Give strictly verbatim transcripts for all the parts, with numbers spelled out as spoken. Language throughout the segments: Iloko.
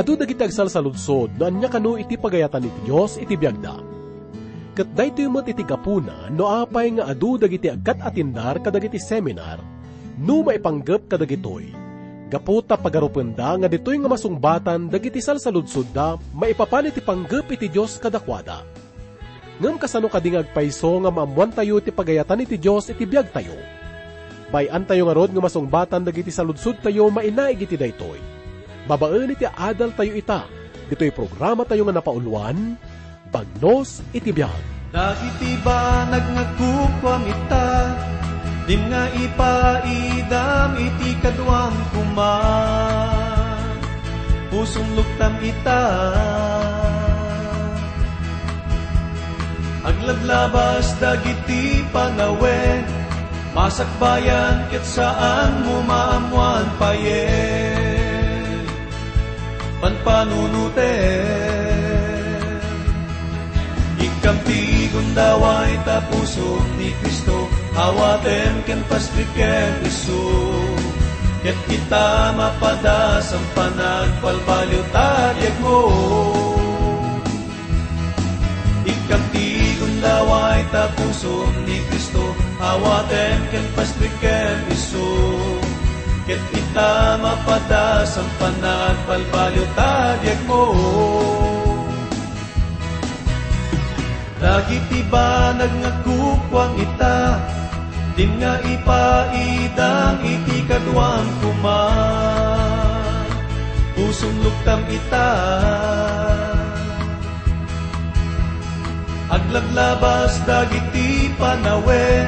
Adu dagiti agsalsaludsod no ania kano iti pagayatan iti Dios iti biagda. Ket daytoy met iti gapuna no apay nga adu dagiti agkat-atindar kadagiti seminar no maipanggep kadagitoy, gapu ta pagarupenda nga ditoy nga masungbatan dagiti salsaludsodda maipapan iti panggep iti Dios kadakuada. Ngem kasano kadi nga agpayso nga maammoantayo ti pagayatan iti Dios iti biagtayo? Bay-antayo ngarud nga masungbatan dagiti saludsodtayo mainaig iti daytoy, babaen iti adaltayo ita, ditoy programatayo nga napauluan, Bagnos iti Biag. Dagiti banag nga kukuam ita, din nga ipaidam iti kaduam koma. Pusom luktam ita. Aglablabas dagiti panawen, masakbayan ket saanmo maammoan payen. Panpanunotem. Ikkam ti gundaway ta pusom ni Cristo, awatem ken pastrikem isu. Ket ita mapadas a panagbalbaliw ta biagmo. Ikkam ti gundaway ta pusom ni Cristo, awatem ken pastrikem isu. Ket ita mapadas a panagbalbaliw ta biagmo. Dagiti banag nga kukuam ita, din nga ipaidam iti kaduam koma. Pusom luktam ita. Aglablabas dagiti panawen,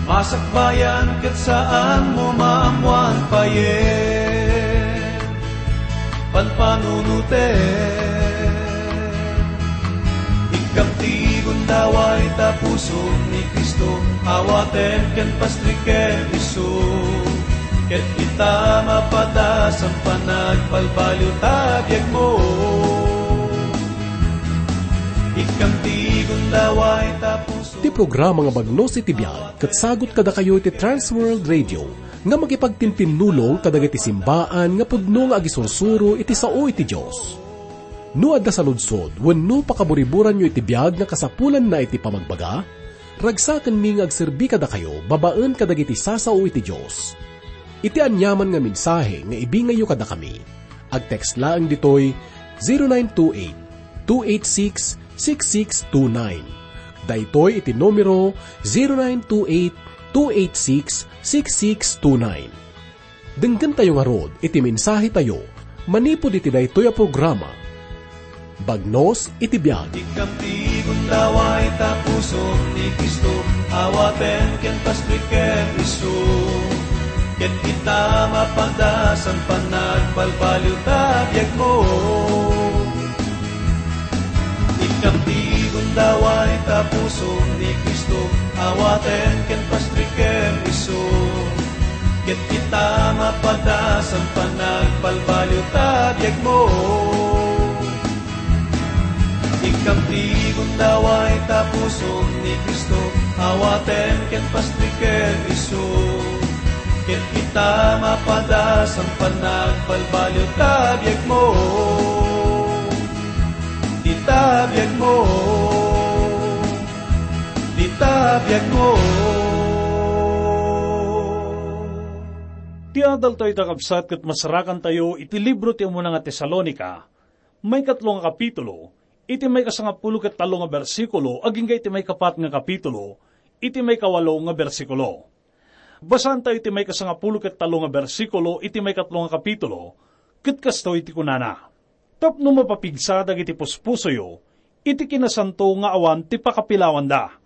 masakbayan ket saanmo maammoan payen. Panpanunotem. Ikkam ti gundaway ta pusom ni Cristo, awatem ken pastrikem isu. Ket ita mapadas a panagbalbaliw ta biagmo. Ikkam ti gundaway ta puso. Ti programa nga Bagnos iti Biag ket sagut kadakayo iti Trans World Radio nga makipagtintinnulong kadagiti simbaan nga pudno nga agisursuro iti sao iti Dios. No adda saludsod wenno pakaburiburanyo iti biag nga kasapulanna iti pamagbaga, ragsakenmi nga agserbi kadakayo babaen kadagiti sasao iti Dios. Iti aniaman nga mensahe nga ibingayyo kadakami, agtext laeng ditoy zero nine two eight, two eight six, six six two nine. Daytoy iti numero, zero nine two eight, two eight six, six six two nine. Denggentayo ngarud iti mensahetayo manipud iti daytoy a programa. Bagnos iti biag. Ikkam ti gundaway ta pusom ni Cristo, awatem ken pastrikem isu. Ket ita mapadas a panagbalbaliw ta biagmo. Ikkam ti gundaway ta pusom ni Cristo, awatem ken pastrikem isu. Ket ita mapadas a panagbalbaliw ta biagmo. Ikkam ti gundaway ta pusom ni Cristo, awatem ken pastrikem isu. Ket ita mapadas a panagbalbaliw ta biagmo. Ita biagmo. Ita biagmo. Ti adaltayo ta kabsat ket masarakantayo iti libro ti umuna nga Tesalonica, maikatlo nga kapitulo, iti maikasangapulo ket tallo nga bersikulo, agingga iti maikapat nga kapitulo, iti maikawalo nga bersikulo. Basaantayo iti maikasangapulo ket tallo nga bersikulo iti maikatlo nga kapitulo, ket kastoy ti kunana, "Tapno mapapigsa dagiti puspusoyo iti kinasanto nga awan ti pakapilawanda,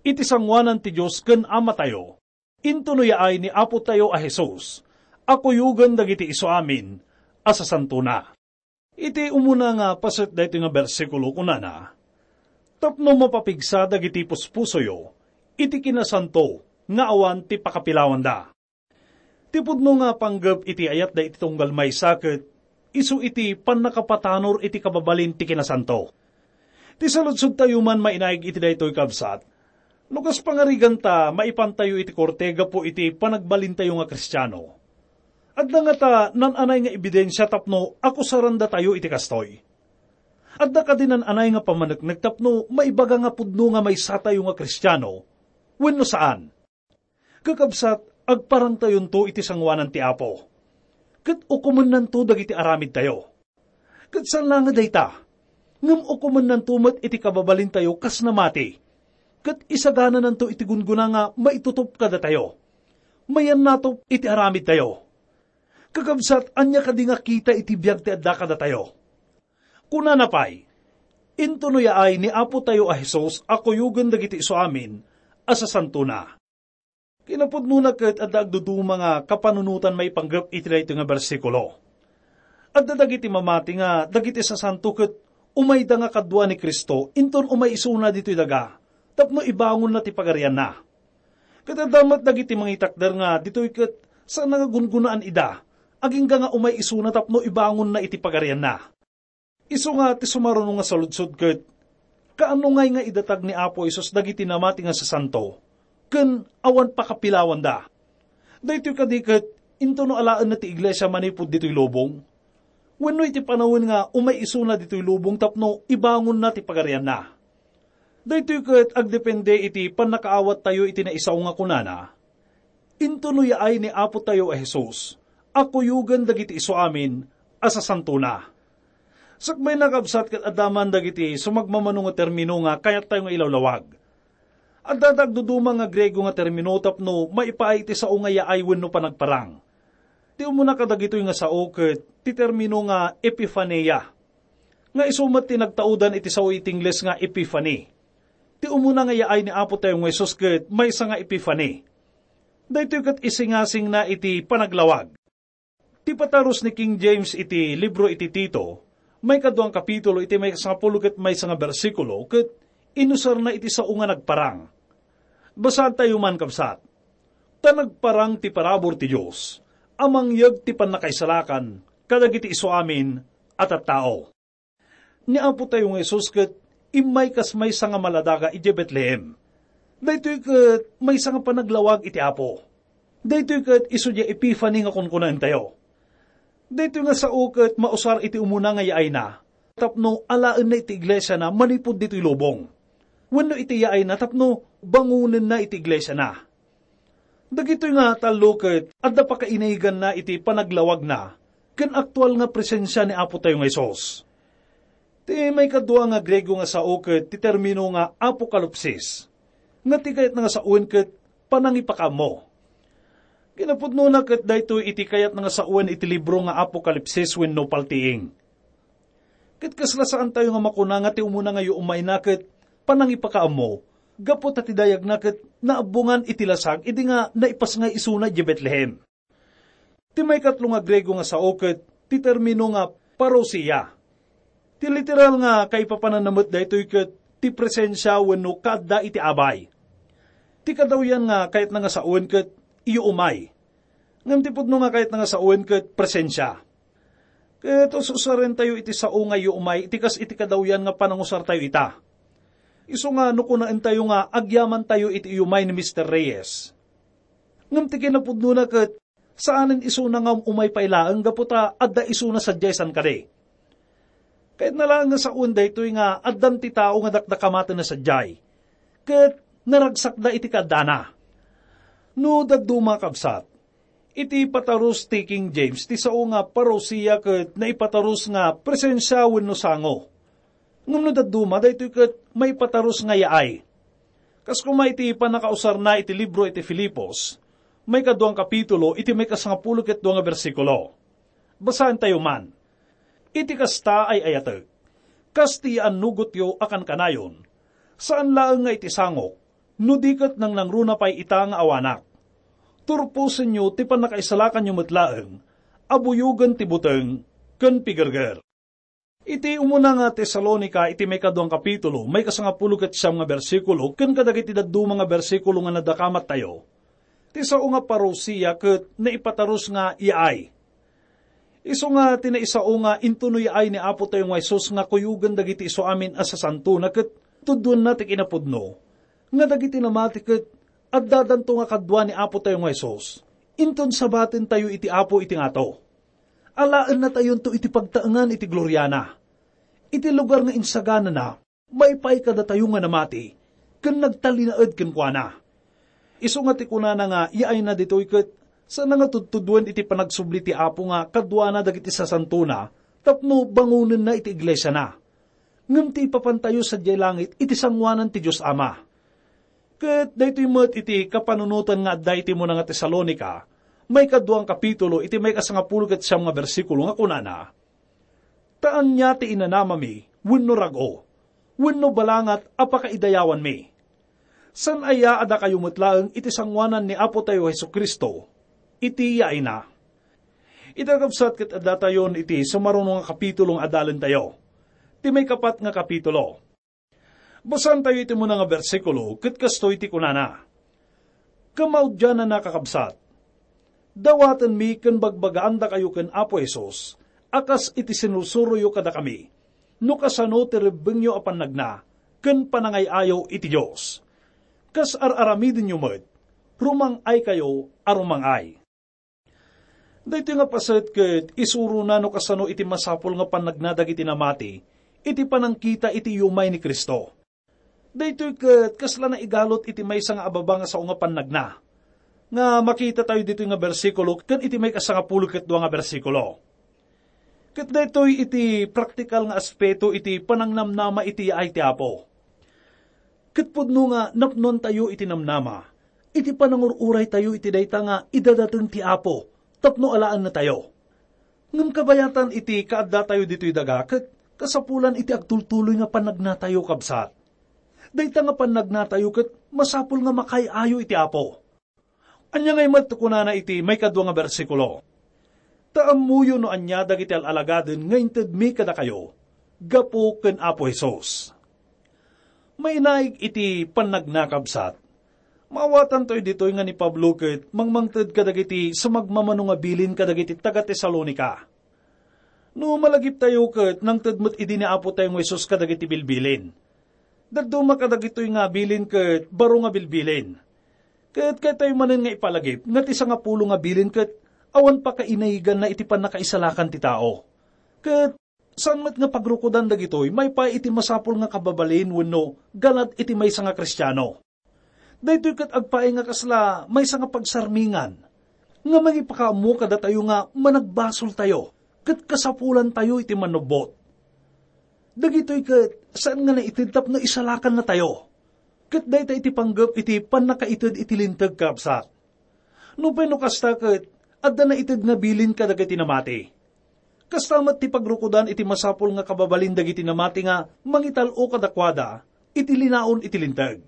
iti sangoanan ti Dios ken Amatayo, intono yaay ni Apotayo a Jesus a kuyogen dagiti isuamin a sasantona." Iti umuna nga paset daytoy nga bersikulo, kunana, "Tapno mapapigsa dagiti puspusoyo iti kinasanto nga awan ti pakapilawanda." Ti pudno nga panggep iti ayatda iti tunggal maysa ket isu iti pannakapatanor iti kababalin ti kinasanto. Ti saludsodtayo man mainaig iti daytoy, kabsat, no kas pangarigan ta maipantayo iti korte gapu iti panagbalintayo nga Kristiano. Adda ngata nan-anay nga ebidensia tapno akusarandatayo iti kastoy? Adda kadi nan-anay nga pammaneknek tapno maibaga nga pudno nga maysatayo nga Kristiano wenno saan? Kakabsat, agparangtayonto iti sangoanan ti Apo, ket ukomennanto dagiti aramidtayo. Ket saan laeng a dayta, ngem ukomennanto met iti kababalintayo kas namati, ket isaganananto iti gunggona nga maitutop kadatayo, mayannatop iti aramidtayo. Kakabsat, ania kadi nga kita iti biag ti adda kadatayo? Kunana pay, "Intono yaay ni Apotayo a Jesus a kuyogen dagiti isuamin a sasantona." Kinapudnona ket adda agduduma nga kapanunotan maipanggep iti daytoy nga bersikulo. Adda dagiti mamati nga dagiti sasanto ket umayda nga kadua ni Cristo inton umay isuna ditoy daga tapno ibangonna ti pagarianna. Ket adda met dagiti mangitakder nga ditoy ket saan nga gungonaan ida, agingga nga umay isuna tapno ibangonna iti pagarianna. Isu nga ti sumaruno nga saludsod ket, kaano ngay nga idatag ni Apo Jesus dagiti namati nga sasanto ken awan pakapilawanda? Daytoy kadi ket intono alaenna ti iglesia manipud ditoy lubong? Wenno iti panawen nga umay isuna ditoy lubong tapno ibangonna ti pagarianna? Daytoy ket agdepende iti pannakaawattayo iti naisao nga kunana, "Intono yaay ni Apotayo a Jesus a kuyogen dagiti isuamin a sasantona." Sakbayna, kabsat, ket adda man dagiti sumagmamano nga termino nga kayattayo nga ilawlawag. Adda dagduduma nga Griego nga termino tapno maipaay iti sao nga yaay wenno panagparang. Ti umuna kadagitoy nga sao ket ti termino nga epifania, nga isu met ti nagtaudan iti sao iti Ingles nga epiphany. Ti umuna nga yaay ni Apotayo nga Jesus ket maysa nga epiphany. Daytoy ket isingasingna iti panaglawag. Ti patarus ni King James iti libro iti Tito, maikadua nga kapitulo iti maikasangapulo ket maysa nga bersikulo, ket inusarna iti sao nga nagparang. Basaantayo man, kabsat. Ta nagparang ti parabur ti Dios a mangyeg ti pannakaisalakan kadagiti isuamin a tattao. Ni Apotayo nga Jesus ket immay kas maysa nga maladaga idiay Betlehem. Daytoy ket maysa nga panaglawag iti Apo. Daytoy ket isu diay Epiphany nga kunkunaentayo. Daytoy nga sao ket mausar iti umuna nga yaayna tapno alaenna iti iglesiana manipud ditoy lubong, wenno iti yaayna tapno bangonenna iti iglesiana. Dagitoy nga tallo ket adda pakainaganna iti panaglawagna ken aktual nga presensia ni Apotayo nga Jesus. Ti maikadua nga Griego nga sao ket ti termino nga apokalipsis, nga ti kayatna nga sawen ket panangipakaammo. Kinapudnona ket daytoy iti kayatna nga sawen iti libro nga Apokalipsis wenno paltiing. Ket kasla saantayo nga makuna nga ti umuna nga yuumayna ket panangipakaammo, gapu ta ti dayagna ket naabbongan iti lasag idi nga naipasngay isuna idiay Betlehem. Ti maikatlo nga Griego nga sao ket ti termino nga parousia. Ti literal nga kaipapananna met daytoy ket ti presensia wenno kaadda iti abay. Ti kadawyan nga kayatna nga sawen ket iyuumay. Ngem ti pudno nga kayatna nga sawen ket presensia. Ket us-usarentayo iti sao nga iyuumay iti kas iti kadawyan nga panangusartayo ita. Isu nga no kunaentayo nga agyamantayo iti iyumay ni Mister Reyes. Ngem ti kinapudnona ket saanen isuna nga um-umay pay laeng gapu ta adda isuna sadiay san kadi. Kayatna laeng nga sawen daytoy nga addan ti tao nga dakdakamatenna sadiay, ket naragsakda iti kaaddana. No dadduma, kabsat, iti patarus ti King James, ti sao nga parousia ket naipatarus nga presensia wenno sango. Ngem no dadduma, daytoy ket maipatarus nga yaay. Kas koma iti pannakausarna iti libro iti Filipos, maikaduang kapitulo, iti maikasangapulo ket dua nga bersikulo. Basaentayo man. Iti kasta, ay-ayatek, kas ti yaannugotyo a kankanayon, saan laeng nga iti sangok, no di ket nangnangruna pay ita nga awanak. Turposenyo ti pannakaisalakanyo met laeng a buyogen ti buteng ken pigerger. Iti umuna nga Tesalonica, iti maikaduang kapitulo, maikasangapulo ket siam nga bersikulo, ken kadagiti dadduma nga bersikulo nga nadakamattayo, ti sao nga parousia ket naipatarus nga yaay. Isu nga ti naisao nga intuno yaay ni Apotayo nga Jesus nga kuyogen dagiti isuamin a sasantona ket tudduenna ti kinapudno nga dagiti namati ket addadanto nga kadua ni Apotayo nga Jesus. Inton sabatentayo iti Apo iti ngato, alaennatayonto iti pagtaengan iti gloriana. Iti lugar nga insaganana, maipay kadatayo nga namati ken nagtalinaed kenkuana. Isu nga ti kunana nga yaayna ditoy ket saan nga tudtuduen iti panagsubli ti Apo nga kaduana dagiti sasantona tapno bangonenna iti iglesiana. Ngem ti ipapantayo sadiay langit iti sangoanan ti Dios Ama. Ket daytoy met iti kapanunotan nga adda iti muna nga Tesalonica, maikadua nga kapitulo iti maikasangapulo ket siam nga bersikulo nga kunana, "Ta ania ti inanamami wenno rag-o, wenno balangat a pakaidayawanmi? Saan aya a dakayo met laeng iti sangoanan ni Apotayo Jesu-Cristo iti yaayna?" Ita, kabsat, ket addatayon iti sumaruno nga kapitulo nga adalentayo. Ti maikapat nga kapitulo. Basaentayo iti muna nga bersikulo, ket kastoy ti kunana, "Kamaudiananna, kakabsat, dawatenmi ken bagbagaandakayo ken Apo Jesus a kas iti sinursuroyo kadakami, no kasano ti rebbengyo a pannagna ken panangay-ayo iti Dios. Kas ar-aramidenyo met, rumang-aykayo a rumang-ay." Daytoy nga paset ket isurona no kasano iti masapul nga pannagna dagiti namati iti panangkita iti umay ni Cristo. Daytoy ket kasla naigalut iti maysa nga ababa nga sao nga pannagna, nga makitatayo ditoy nga bersikulo ken iti maikasangapulo ket dua nga bersikulo. Ket daytoy iti praktikal nga aspeto iti panangnamnama iti yaay ti Apo. Ket pudno nga napnoantayo iti namnama, iti panangur-uraytayo iti dayta nga idadateng ti Apo tapno alaennatayo. Ngem kabayatan iti kaaddatayo ditoy daga ket kasapulan iti agtultuloy nga pannagnatayo, kabsat. Dayta nga pannagnatayo ket masapul nga makaay-ayo iti Apo. Ania ngay met ti kunana iti maikadua nga bersikulo? "Ta ammoyo no ania dagiti al-alagaden nga intedmi kadakayo gapu ken Apo Jesus." Mainaig iti pannagna, kabsat. Maawatantayo ditoy nga ni Pablo ket mangmangted kadagiti sumagmamano nga bilin kadagiti taga-Tesalonica. No malagiptayo ket nangted met idi ni Apotayo nga Jesus kadagiti bilbilin. Dadduma kadagitoy nga bilin ket baro nga bilbilin. Ket kayatyo manen nga ipalagip nga ti sangapulo nga bilin ket awan pakainayiganna iti pannakaisalakan ti tao. Ket saan met nga pagrukodan dagitoy maipaay iti masapul nga kababalin wenno ganad iti maysa nga Kristiano. Daytoy ket agpaay nga kasla maysa nga pagsarmingan nga mangipakaammo kadatayo nga managbasoltayo ket kasapulantayo iti mannubbot. Dagitoy ket saan nga naited tapno isalakannatayo. Ket dayta iti panggep iti pannakaited iti Linteg, kabsat. Nupay no kasta ket adda naited nga bilin kadagiti namati. Kasta met ti pagrukodan iti masapul nga kababalin dagiti namati nga mangital-o kadakuada iti linaon iti Linteg.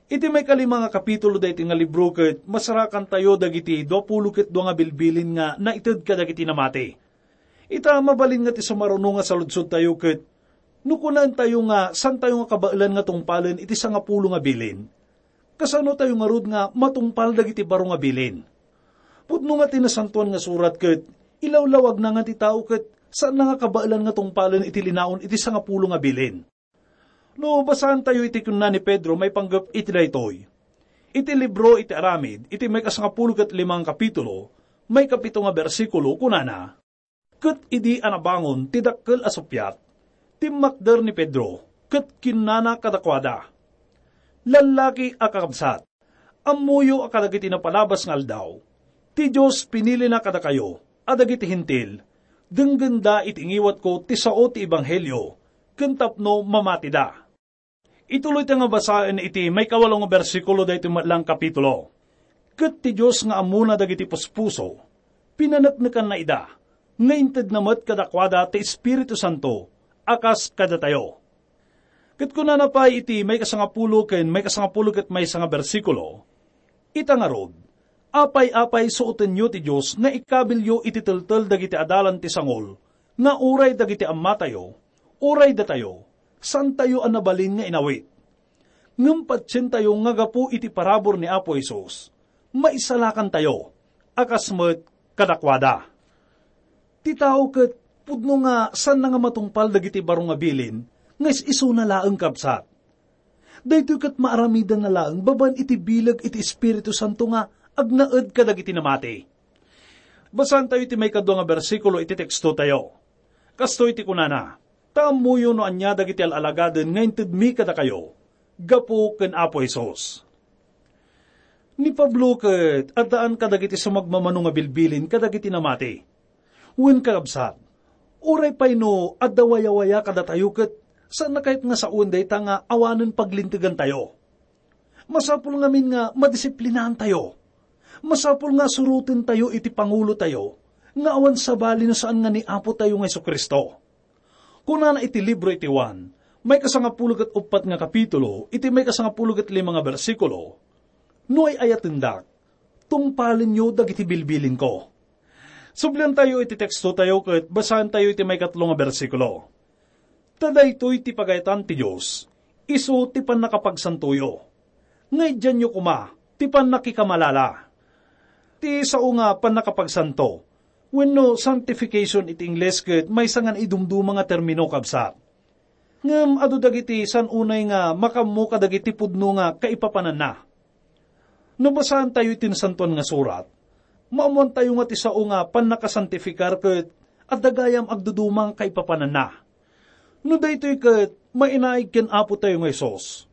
Iti maikalima nga kapitulo daytoy nga libro ket masarakantayo dagiti duapulo ket dua nga bilbilin nga naited kadagiti namati. Ita, mabalin nga ti sumaruno nga saludsodtayo ket no kunaentayo nga saantayo nga kabaelan nga tungpalen iti sangapulo nga bilin, kasanotayo ngarud nga matungpal dagiti baro nga bilin? Pudno nga ti Nasantoan nga Surat ket ilawlawagna nga ti tao ket saanna nga kabaelan nga tungpalen iti linaon iti sangapulo nga bilin. No basaantayo iti kinuna ni Pedro maipanggep iti daytoy, iti libro iti Aramid, iti maikasangapulo ket lima nga kapitulo, maikapito nga bersikulo, kunana, "Ket idi a nabangon ti dakkel a suppiat, timmakder ni Pedro ket kinnana kadakuada, 'Lallaki a kakabsat, ammoyo a kadagiti napalabas nga aldaw, ti Dios pinilina kadakayo a dagiti Hentil, denggenda iti ngiwatko ti sao ti ebanghelio, ken tapno mamatida.'" Ituloy ta nga basaen iti maikawalo nga bersikulo daytoy met lang kapitulo. "Ket ti Dios nga ammona dagiti puspuso, pinaneknekanna ida, nga intedna met kadakuada ti Espiritu Santo a kas kadatayo." Ket kunana pay iti maikasangapulo ken maikasangapulo ket maysa nga bersikulo, "Ita ngarud, apay-apay suotenyo ti Dios nga ikabilyo iti teltel dagiti adalan ti sangol, nga uray dagiti ammatayo, uray datayo, saantayo a nabalin nga inawit. Ngem patientayo nga gapu iti parabur ni Apo Jesus, maisalakantayo a kas met kadakuada." Ti tao ket pudno nga saanna nga matungpal dagiti baro nga bilin nga is-isuna laeng, kabsat. Daytoy ket maaramidanna laeng babaen iti bileg iti Espiritu Santo nga agnaed kadagiti namati. Basaentayo iti maikadua nga bersikulo iti tekstotayo. Kastoy ti kunana, "Ta ammoyo no ania dagiti al-alagaden nga intedmi kadakayo gapu ken Apo Jesus." Ni Pablo ket addaan kadagiti sumagmamano nga bilbilin kadagiti namati. Wen, kakabsat, uray pay no adda wayawaya kadatayo ket saanna kayat nga sawen dayta nga awanen paglintegantayo. Masapul ngamin nga madisiplinaantayo. Masapul nga surotentayo iti pangulotayo nga awan sabali no saan nga ni Apotayo nga Jesu-Cristo. Kunana iti libro iti Juan, maikasangapulo ket uppat nga kapitulo, iti maikasangapulo ket lima nga bersikulo, "No ay-ayatendak, tungpalenyo dagiti bilbilinko." Subliantayo iti tekstotayo ket basaentayo iti maikatlo nga bersikulo. Ta daytoy ti pagayatan ti Dios, isu ti pannakapagsantoyo. Nga idianyo koma ti pannakikamalala. Ti sao nga pannakapagsanto, wenno sanctification iti Ingles ket maysa nga naidumduma nga termino, kabsat. Ngem adu dagiti san unay nga makaammo kadagiti pudno nga kaipapananna. No basaentayo iti Nasantoan nga Surat, maammoantayo nga ti sao nga pannakasantifikar ket adda gayam agduduma nga kaipapananna. No daytoy ket mainaig ken Apotayo nga Jesus,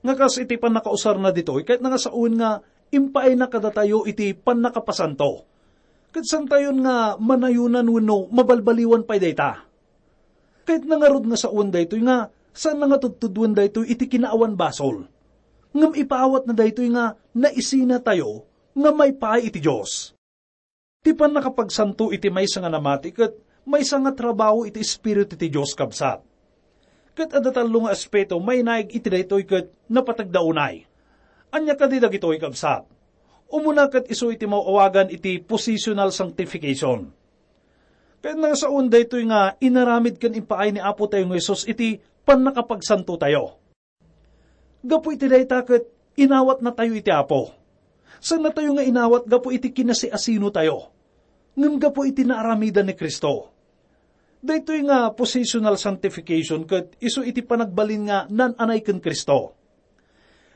nga kas iti pannakausarna ditoy, kayatna nga sawen nga impaayna kadatayo iti pannakapasanto. Ket santayon nga manayonan wenno mabalbaliwan pay dayta. Kayatna ngarud nga sawen daytoy nga saanna nga tudtudoen daytoy iti kinaawan basol. Ngem ipaawatna daytoy nga naisinatayo nga maipaay iti Dios. Ti pannakapagsanto iti maysa nga namati ket maysa nga trabaho iti Espiritu ti Dios, kabsat. Ket adda tallo nga aspeto mainaig iti daytoy ket napateg da unay. Ania kadi dagitoy, kabsat? Umuna ket isu iti maawagan iti positional sanctification. Ket nasaon daytoy nga inaramid ken impaay ni Apotayo nga Jesus iti pannakapagsantotayo. Gapu iti dayta ket inawatnatayo iti Apo. Saannatayo nga inawat gapu iti kinasiasinotayo, ngem gapu iti naaramidan ni Cristo. Daytoy nga positional sanctification ket isu iti panagbalin nga naan-anay ken Cristo.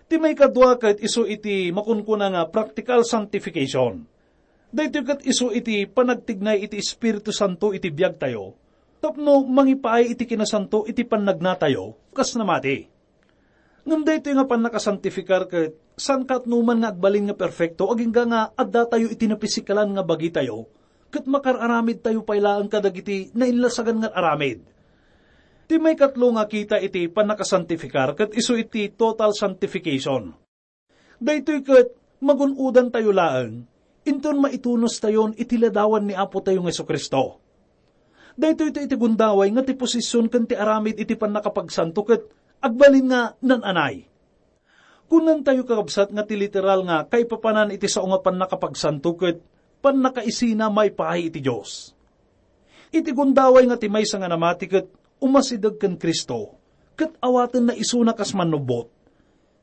Ti maikadua ket isu iti makunkuna nga practical sanctification. Daytoy ket isu iti panagtignay iti Espiritu Santo iti biagtayo tapno mangipaay iti kinasanto iti pannagnatayo kas namati. Ngem daytoy nga pannakasantifikar ket saan ket no man nga agbalin nga perfecto agingga nga addatayo iti napisikalan nga bagitayo ket makar-aramidtayo pay laeng kadagiti nainlasagan nga aramid. Ti maikatlo nga kita iti pannakasantifikar ket isu iti total sanctification. Daytoy ket magun-odantayo laeng inton maitunostayon iti ladawan ni Apotayo nga Jesu-Cristo. Daytoy iti gundaway nga ti posisyon ken ti aramid iti pannakapagsanto ket agbalin nga naan-anay. Kunantayo, kakabsat, nga ti literal nga kaipapanan iti sao nga pannakapagsanto ket pannakaisina maipaay iti Dios. Iti gundaway nga ti maysa nga namati ket umasideg ken Cristo, ket awatenna isuna kas mannubbot.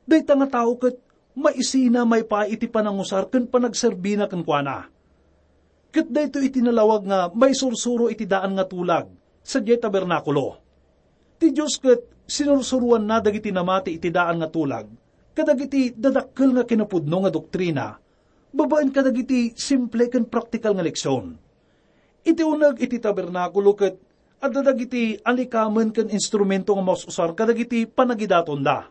Dayta nga tao ket maisina maipaay iti panangusar ken panagserbina kenkuana. Ket daytoy iti nalawag nga maisursuro iti daan nga tulag sadiay tabernakulo. Ti Dios ket sinursuroanna dagiti namati iti daan nga tulag kadagiti dadakkel nga kinapudno nga doktrina babaen kadagiti simple ken praktikal nga leksion. Iti uneg iti tabernakulo ket adda dagiti alikamen ken instrumento nga maus-usar kadagiti panagidatonda.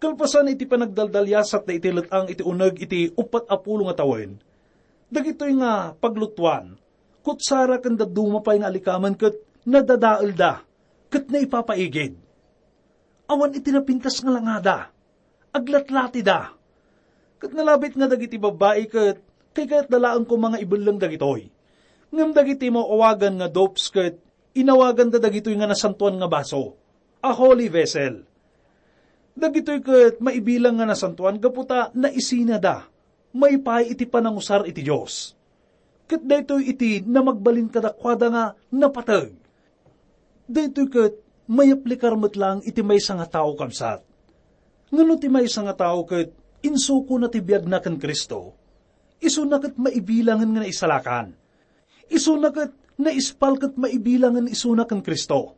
Kalpasan iti panagdaldaliasatda iti let-ang iti uneg iti uppat a pulo nga tawen, dagitoy nga paglutuan, kutsara ken dadduma pay nga alikamen ket nadadaelda ket naipapaigid. Awan iti napintas nga langada, aglatlatida. Ket nalabit nga dagiti babbai ket kaykayatda laeng koma nga ibelleng dagitoy. Ngem dagiti maawagan nga dopes ket inawaganda dagitoy nga nasantoan nga baso, a holy vessel. Dagitoy ket maibilang nga nasantoan gapu ta naisinada maipaay iti panangusar iti Dios. Ket daytoy iti namagbalin kadakuada nga napateg. Daytoy ket mayaplikar met laeng iti maysa nga tao, kabsat. Ngano ti maysa nga tao ket insukona ti biagna ken Cristo? Isuna ket maibilangen nga naisalakan. Isuna ket naispal ket maibilangen isuna ken Cristo.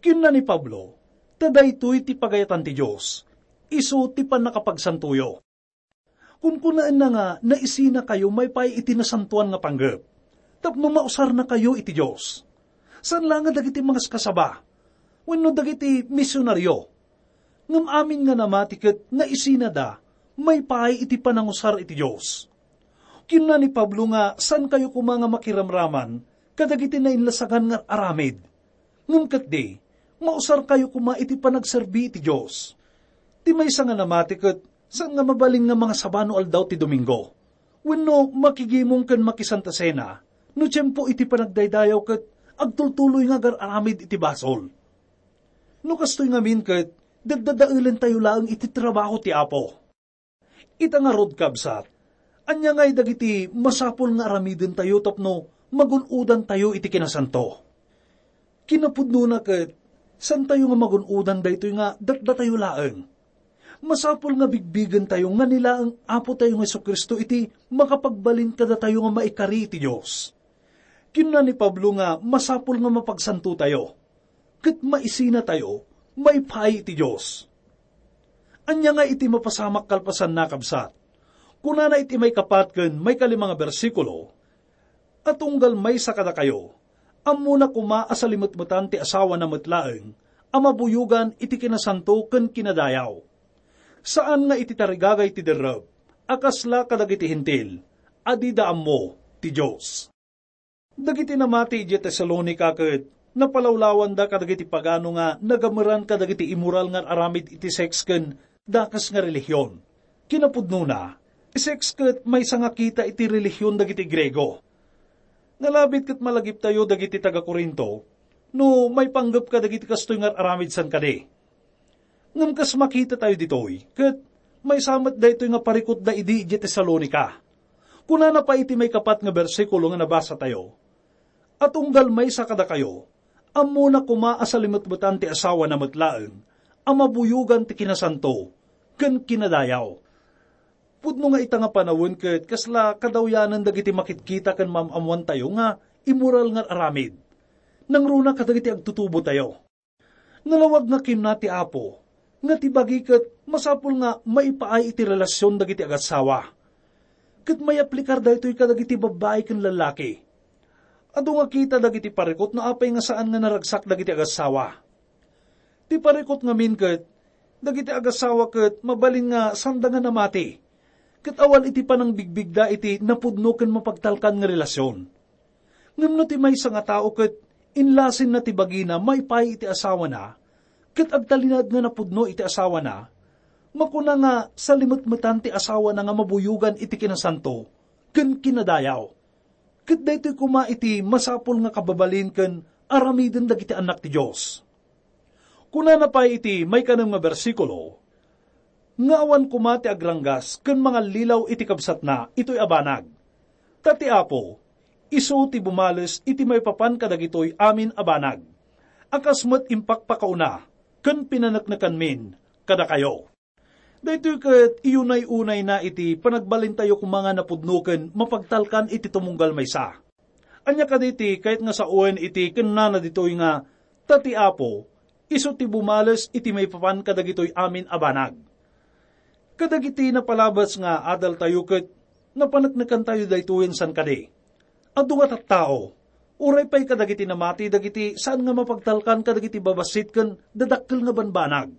Kinuna ni Pablo, ta daytoy ti pagayatan ti Dios, isu ti pannakapagsantoyo. Kunkunaenna nga naisinakayo maipaay iti nasantoan nga panggep, tapno mausarnakayo iti Dios. Saan la nga dagiti mangaskasaba, wenno dagiti misionario, ngem amin nga namati ket naisinada maipaay iti panangusar iti Dios. Kinuna ni Pablo nga saankayo koma nga makiramraman kadagiti nainlasagan nga aramid. Ngem ketdi, mausarkayo koma iti panagserbi iti Dios. Ti maysa nga namati ket saan nga mabalin nga mangasaba no aldaw ti Domingo, wenno makigimong ken makiSanta Cena no tiempo iti panagdaydayaw ket agtultuloy nga agar-aramid iti basol. No kastoy ngamin ket, daddadaelentayo laeng iti trabaho ti Apo. Ita ngarud, kabsat, ania ngay dagiti masapul nga aramidentayo tapno magun-odantayo iti kinasanto? Kinapudnona ket, saantayo nga magun-odan daytoy nga datdatayo laeng. Masapul nga bigbigentayo nga ni laeng Apotayo nga Jesu-Cristo iti makapagbalin kadatayo nga maikari iti Dios. Kinuna ni Pablo nga masapul nga mapagsantotayo, ket maisinatayo maipaay iti Dios. Ania nga iti mapasamak kalpasanna, kabsat? Kunana iti maikapat ken maikalima nga bersikulo, "A tunggal maysa kadakayo, ammona koma a salimetmetan ti asawana met laeng a mabuyogan iti kinasanto ken kinadayaw. Saan nga iti tarigagay ti derrep a kasla kadagiti Hentil a dida ammo ti Dios." Dagiti namati idiay Tesalonica ket napalawlawanda kadagiti pagano nga nagameran kadagiti immoral nga aramid iti sex ken dakes nga relihion. Kinapudnona, sex ket maysa nga kita iti relihion dagiti Griego. Nalabit ket malagiptayo dagiti taga-Corinto no maipanggep kadagiti kastoy nga aramid san kadi. Ngem kas makitatayo ditoy, ket maysa met daytoy nga parikutda idi idiay Tesalonica. Kunana pay iti maikapat nga bersikulo nga nabasatayo, "A tunggal maysa kadakayo, ammona koma a salimetmetan ti asawana met laeng a mabuyogan ti kinasanto ken kinadayaw." Pudno nga ita nga panawen ket kasla kadawyanan dagiti makitkita ken maam-ammoantayo nga immoral nga aramid. Nangruna kadagiti agtutubotayo. Nalawag nga kinuna ti Apo nga ti bagi ket masapul nga maipaay iti relasion dagiti agassawa. Ket mayaplikar daytoy kadagiti babbai ken lallaki. Adu nga kita dagiti parikut no apay nga saan nga naragsak dagiti agassawa. Ti parikut ngamin ket, dagiti agassawa ket mabalin nga sanda nga namati, ket awan iti panangbigbigda iti napudno ken mapagtalkan nga relasion. Ngem no ti maysa nga tao ket inlasinna ti bagina maipaay iti asawana, ket agtalinaed nga napudno iti asawana, makuna nga salimetmetan ti asawana nga mabuyogan iti kinasanto ken kinadayaw. Ket daytoy koma iti masapul nga kababalin ken aramiden dagiti annak ti Dios. Kunana pay iti maikanem nga bersikulo, nga awan koma ti agranggas ken mangallilaw iti kabsatna itoy a banag. Ta ti Apo, isu ti bumales iti maipapan kadagitoy amin a banag, a kas met impakpakauna ken pinaneknekanmin kadakayo. Daytoy ket iyunay-unayna iti panagbalintayo koma nga napudno ken mapagtalkan iti tumunggal maysa. Ania kadi ti kayat nga sawen iti kunana ditoy nga, "Ta ti Apo, isu ti bumales iti maipapan kadagitoy amin a banag"? Kadagiti napalabas nga adaltayo ket napaneknekantayo daytoyen san kadi. Adu nga tattao, uray pay kadagiti namati dagiti saan nga mapagtalkan kadagiti babassit ken dadakkel nga banbanag.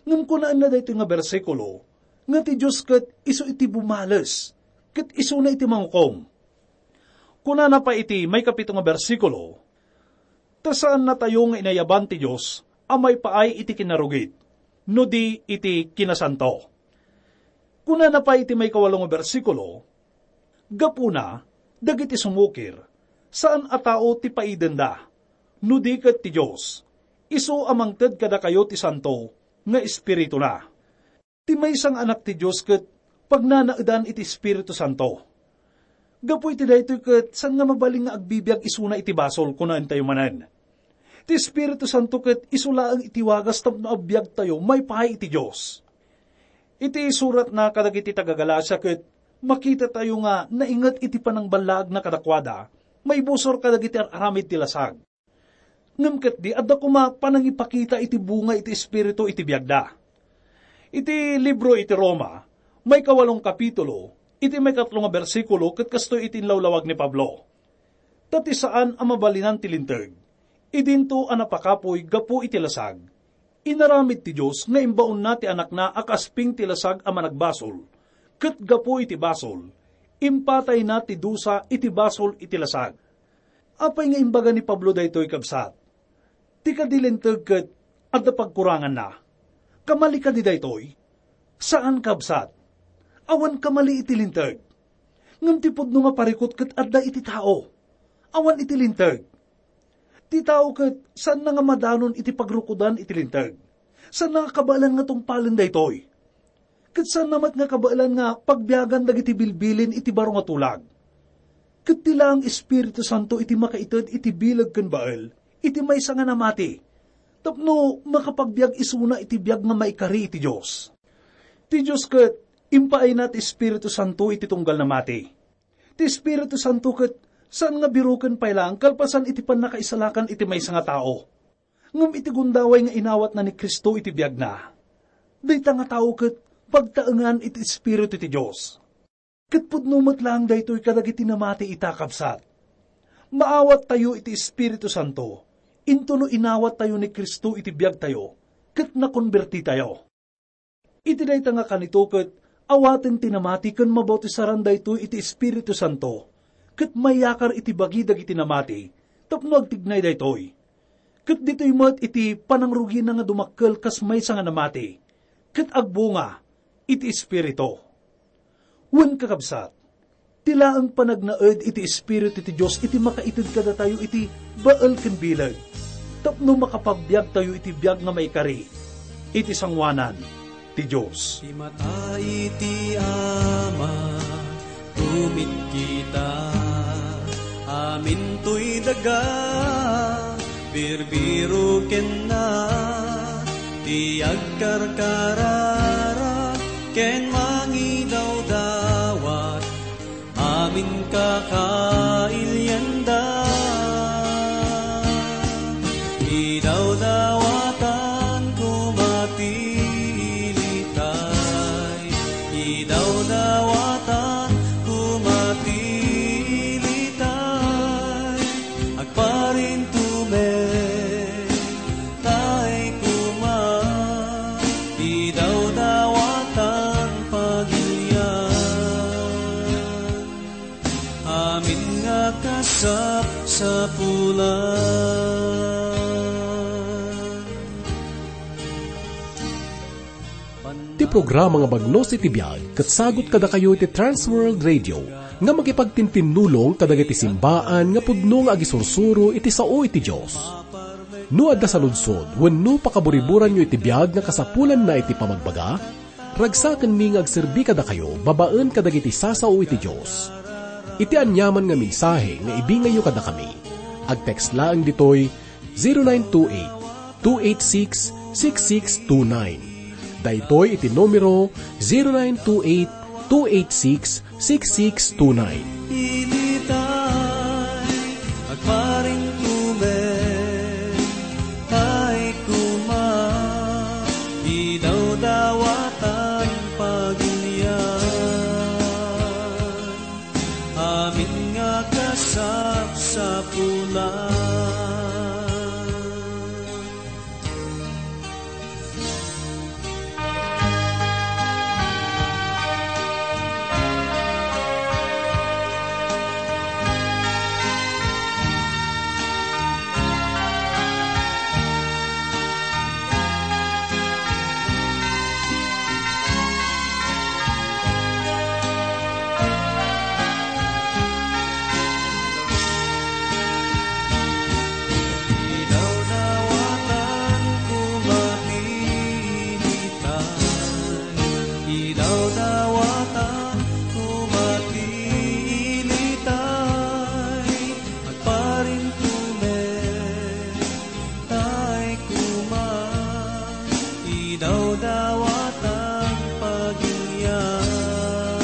Ngem kunaenna daytoy nga bersikulo, nga ti Dios ket isu iti bumales, ket isuna iti mangukom. Kunana pay iti maikapito nga bersikulo, ta saannatayo nga inayaban ti Dios a maipaay iti kinarugit, no di iti kinasanto. Kunana pay iti maikawalo nga bersikulo, gapuna, dagiti sumukir, saan a tao ti paidenda, no di ket ti Dios, isu a mangted kadakayo ti santo nga Espirituna. Ti maysa nga anak ti Dios ket pagnanaedan iti Espiritu Santo. Gapu iti daytoy ket saan nga mabalin nga agbibiag isuna iti basol, kunaentayo manen. Ti Espiritu Santo ket isu laeng iti wagas tapno agbiagtayo maipaay iti Dios. Iti suratna kadagiti taga-Galacia ket makitatayo nga nainget iti panangballaagna kadakuada, maibusor kadagiti ar-aramid ti lasag. Ngem ketdi, adda koma panangipakita iti bunga iti Espiritu iti biagda. Iti libro iti Roma, Maikawalong kapitulo, iti maikatlo nga bersikulo ket kastoy iti inlawlawag ni Pablo. Ta ti saan a mabalinan ti linteg, idinto a napakapuy gapu iti lasag. Inaramid ti Dios nga imbaonna ti Anakna a kasping ti lasag a managbasol, ket gapu iti basol, impatayna ti dusa iti basol iti lasag. Apay nga imbaga ni Pablo daytoy, kabsat? Ti kadi linteg ket adda pagkuranganna. Kamali kadi daytoy? Saan, kabsat. Awan kamali iti linteg. Ngem ti pudno nga parikut ket adda iti tao, awan iti linteg. Ti tao ket saanna nga madanon iti pagrukodan iti linteg. Saanna nga kabaelan nga tungpalen daytoy. Ket saanna met nga kabaelan nga pagbiagan dagiti bilbilin iti baro nga tulag. Ket ti laeng Espiritu Santo iti makaited iti bileg ken bael iti maysa nga namati, tapno makapagbiag isuna iti biag nga maikari iti Dios. Ti Dios ket impaayna ti Espiritu Santo iti tunggal namati. Ti Espiritu Santo ket saan nga biroken pay laeng kalpasan iti pannakaisalakan iti maysa nga tao. Ngem iti gundaway nga inawatna ni Cristo iti biagna, dayta nga tao ket pagtaengan iti Espiritu ti Dios. Ket pudno met laeng daytoy kadagiti namati ita, kabsat. Maawattayo iti Espiritu Santo, intono inawattayo ni Cristo iti biagtayo, ket nakonbertitayo. Iti dayta nga kanito ket awaten ti namati ken mabautisaran daytoy iti Espiritu Santo, ket mayakar iti bagi dagiti namati tapno agtignay daytoy. Ket ditoy met iti panangrugina nga dumakkel kas maysa nga namati, ket agbunga iti Espiritu. Wen, kakabsat, ti laeng panagnaed iti Espiritu ti Dios iti makaited kadatayo iti bael ken bileg, tapno makapagbiagtayo iti biag nga maikari iti sangoanan ti Dios. Ti mata iti Ama, tumitkita, amintoy daga, birbiro kenna, ti agkarkararag ken mangidawdawat, amin kakailianda. Idawdawatan koma ti ilitay, idawdawatan koma ti ilitay, agparintumen tay koma, idawdawatan pagilian, amin nga kasapsapulan. Ti programa nga Bagnos iti Biag ket sagut kadakayo iti Trans World Radio nga makipagtintinnulong kadagiti simbaan nga pudno nga agisursuro iti sao iti Dios. No adda saludsod wenno pakaburiburanyo iti biag nga kasapulanna iti pamagbaga, ragsakenmi nga agserbi kadakayo babaen kadagiti sasao iti Dios. Iti aniaman nga mensahe nga ibingayyo kadakami, agtext laeng ditoy zero nine two eight, two eight six, six six two nine. Daytoy iti numero, zero nine two eight, two eight six, six six two nine. Ilitay, agparintumen tay koma, idawdawatan pagilian, amin nga kasapsapulan. Idawdawatan koma ti ilitay, idawdawatan koma ti ilitay, agparintumen tay koma, idawdawatan pagilian,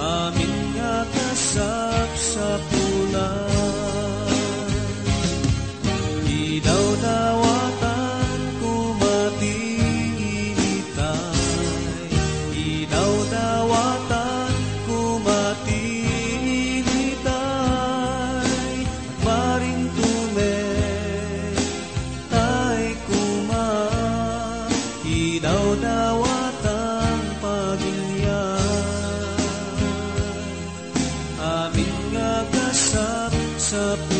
amin nga kasapsapulan. Idawdawatan koma ti ilitay, Sa